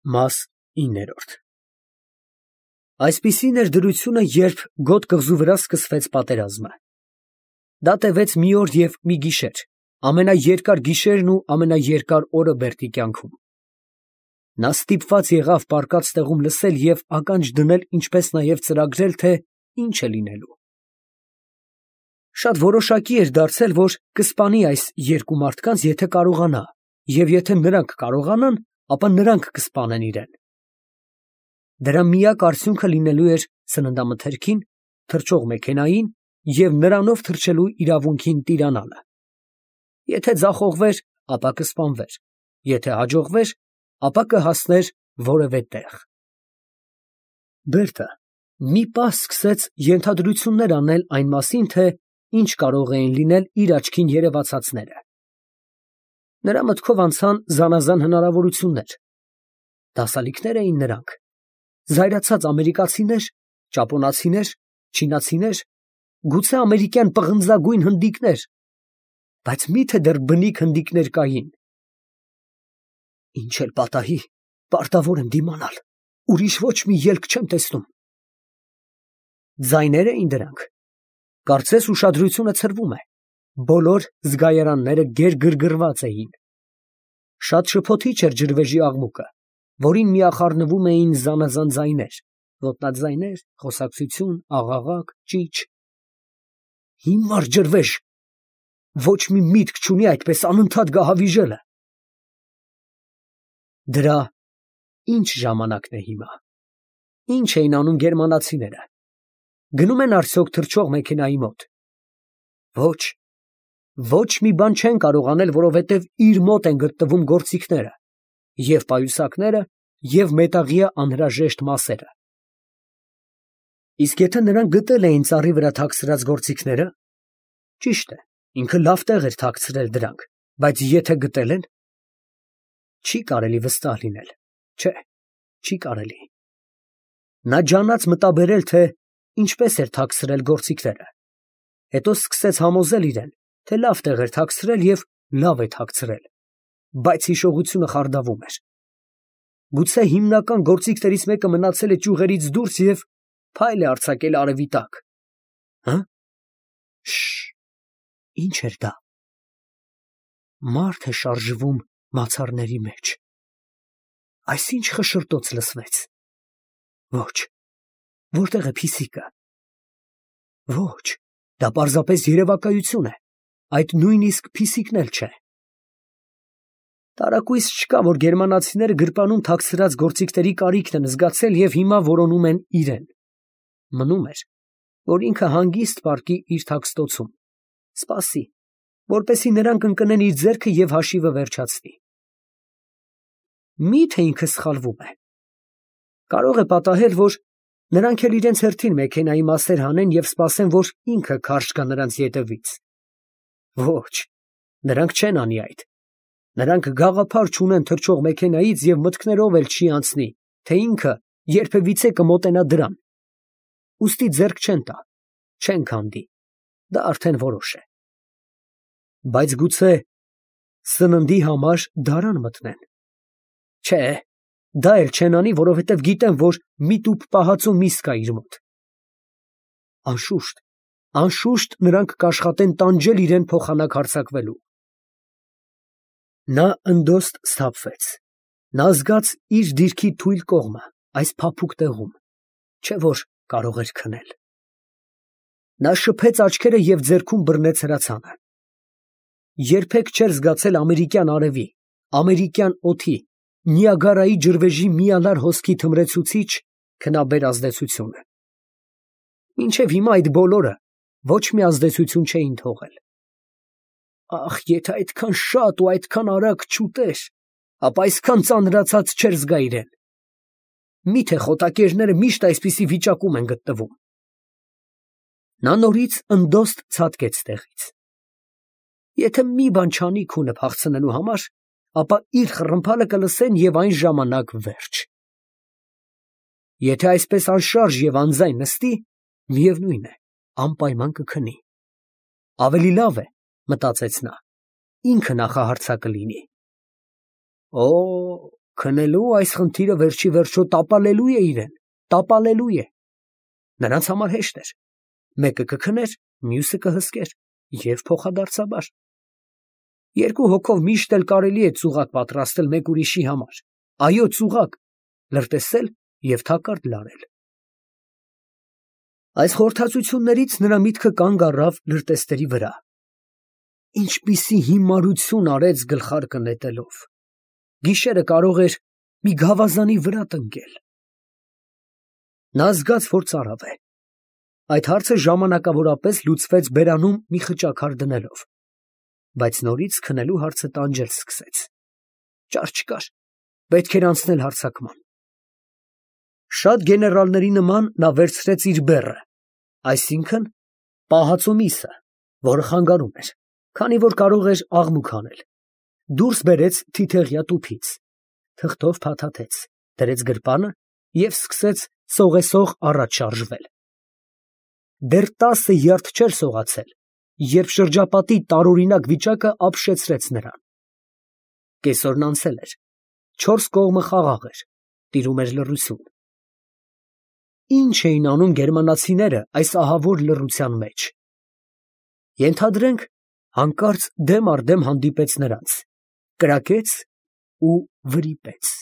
Մաս 9 Այսպիսին էր դրությունը, երբ Գոտ կղզու վրա սկսվեց պատերազմը. դա տևեց մի օր և մի գիշեր, ամենաերկար գիշերն ու ամենաերկար օրը Բերդի կյանքում. նա ստիպված եղավ պառկած տեղում լսել և ականջ դնել, ինչպես նաև ծրագրել, թե ինչ է լինելու. շատ որոշակի էր դարձել, որ կսպանի այս երկու մարդկանց, եթե կարողանա, և եթե նրանք կարողանան, ապա նրանք կսպանեն իրեն. դրա միակ արդյունքը լինելու էր սննդամթերքին, թռչող մեքենային և նրանով թռչելու իրավունքին տիրանալը. եթե ձախողվեր, ապա կսպանվեր, եթե հաջողվեր, ապա կհասներ որևէ տեղ։ Բերդը մի պահ սկսեց ենթադրություններ անել այն մասին, թե ինչ կարող էին լինել իր աչքին երևացածները. նրա մտքով անցան զանազան հնարավորություններ. դասալիքներ էին նրանք, զայրացած ամերիկացիներ, ճապոնացիներ, չինացիներ, գուցե ամերիկյան պղնձագույն հնդիկներ, բայց մի՞թե դեռ բնիկ հնդիկներ կային։ Ինչ էլ պատահի, պարտավոր եմ դիմանալ, ուրիշ ոչ մի ելք չեմ տեսնում։ Ձայներ էին դրանք, կարծես ուշադրությունը ցրվում է, բոլոր զգայարանները գերգրգռված էին։ Շատ շփոթիչ էր ջրվեժի աղմուկը, որին միախառնվում էին զանազան ձայներ, ոտնաձայներ, խոսակցություն, աղաղակ, ճիչ։ Հիմար ջրվեժ, ոչ մի միտք չունի այդպես անընդհատ գահավիժելը։ Դրա ինչ ժամանակն է հիմա։ Ինչ էին անում գերմանացիները։ Գնում են արդյոք թռչող մեքենայի մոտ։ Ոչ, ոչ մի բան չեն կարող անել, որովհետև իր մոտ են գտնվում գործիքները, և պայուսակները, և մետաղյա անհրաժեշտ մասերը։ Իսկ եթե նրանք գտել էին ծառի վրա թաքցրած գործիքները, ճիշտ է, ինքը լավ տեղ էր թաքցրել դրանք, բայց եթե գտել են, չի կարելի վստահ լինել, չէ, չի կարելի։ Նա ջանաց մտաբերել, թե ինչպես էր թաքցրել գործիքները, հետո սկսեց համոզել իրեն, թե լավ տեղ էր թաքցրել և լավ է թաքցրել, բայց հիշողությունը խարդավում էր։ Գուցե հիմնական գործիքներից մեկը մնացել է ճյուղերից դուրս և փայլ է արձակել արևի տակ։ Հը՞։ Շշ, ի՞նչ էր դա։ Մարդ է շարժվում մացառների մեջ։ Այսինչ խշշոտոց լսվեց։ Ոչ, որտեղ է փիսիկը։ Ոչ, դա պարզապես երևակայություն է, այդ նույնիսկ փիսիկն էլ չէ։ Տարակույս չկա, որ գերմանացիները գրպանում թաքցրած գործիքների կարիքն են զգացել և հիմա որոնում են իրեն։ Մնում էր, որ ինքը հանգիստ պառկի իր թաքստոցում, սպասի, որպեսզի նրանք ընկնեն իր ձեռքը և հաշիվը վերջացնի։ Մի՞թե ինքը սխալվում է։ Կարող է պատահել, որ նրանք էլ իրենց հերթին մեքենայի մասեր հանեն և սպասեն, որ ինքը քարշ գա նրանց ետևից։ Ոչ, նրանք չեն անի այդ։ Նրանք գաղափար չունեն թռչող մեքենայից և մտքներով էլ չի անցնի, թե ինքը երբևիցե կմոտենա դրան։ Ուստի ձեռք չեն տա, չեն քանդի, դա արդեն որոշ է։ Բայց գուցե սննդի համար դարան մտնեն։ Չէ, դա էլ չեն անի, որովհետև գիտեն, որ մի տուփ պահածո միս կա իր մոտ։ Անշուշտ նրանք կաշխատեն տանջել իրեն փոխանակ հարձակվելու։ Նա ընդոստ սթափվեց։ Նա զգաց իր դիրքի թույլ կողմը, այս փափուկ տեղում, չէ՞ որ կարող էր քնել։ Նա շփեց աչքերը և ձեռքում բռնեց հրացանը։ Երբեք չէր զգացել ամերիկյան արևի, ամերիկյան օդի, Նիագարայի ջրվեժի միանար հոսքի թմրեցուցիչ քնաբեր ազդեցությունը։ Մինչև հիմա այդ բոլորը ոչ մի ազդեցություն չէին թողել։ Ախ, եթե այդքան շատ ու այդքան արագ չուտեր, ապա այսքան ծանրացած չէր զգա իրեն։ Մի՞թե խոտակերները միշտ այսպիսի վիճակում են գտնվում։ Նա նորից ընդոստ ցատկեց տեղից։ Եթե մի բան չանի քունը փախցնելու համար, ապա իր խռմփալը կլսեն և այն ժամանակ վերջ։ Եթե այսպես անշարժ և անձայն նստի, միևնույն է, անպայման կքնի։ Ավելի լավ է, մտածեց նա, ինքը նախահարձակը լինի։ Օ, Քնելու այս խնդիրը վերջի վերջո տապալելու է իրեն, տապալելու է։ Նրանց համար հեշտ էր. մեկը կքներ, մյուսը կհսկեր և փոխադարձաբար։ Երկու հոգով միշտ էլ կարելի է ծուղակ պատրաստել մեկ ուրիշի համար, այո, ծուղակ, լրտեսել և թակարդ լարել։ Այս խորհրդածություններից նրա միտքը կանգ առավ լրտեսների վրա։ Ինչպիսի հիմարություն արեց գլխարկը նետելով։ Գիշերը կարող էր մի գավազանի վրա տնկել։ Նա զգաց, որ ծարավ է։ Այդ հարցը ժամանակավորապես լուծվեց բերանում մի խճաքար դնելով, բայց նորից քնելու հարցը տանջել սկսեց։ Ճար չկար, պետք էր անցնել հարձակման։ Շատ գեներալների նման նա վերցրեց իր բեռը, այսինքն պահածո միսը, որը խանգարում էր, քանի որ կարող էր աղմուկ անել, դուրս բերեց թիթեղյա տուփից, թղթով փաթաթեց, դրեց գրպանը և սկսեց սողեսող առաջ շարժվել։ Դեռ 10 երթ չէր սողացել, երբ շրջապատի տարօրինակ վիճակը ապշեցրեց նրան։ Կեսօրն անցել էր, 4 կողմը խաղաղ էր, տիրում էր լռություն։ Ի՞նչ էին անում գերմանացիները այս ահավոր լռության մեջ։ Ենթադրենք, հանկարծ դեմ առ դեմ հանդիպեց նրանց, կրակեց ու վրիպեց։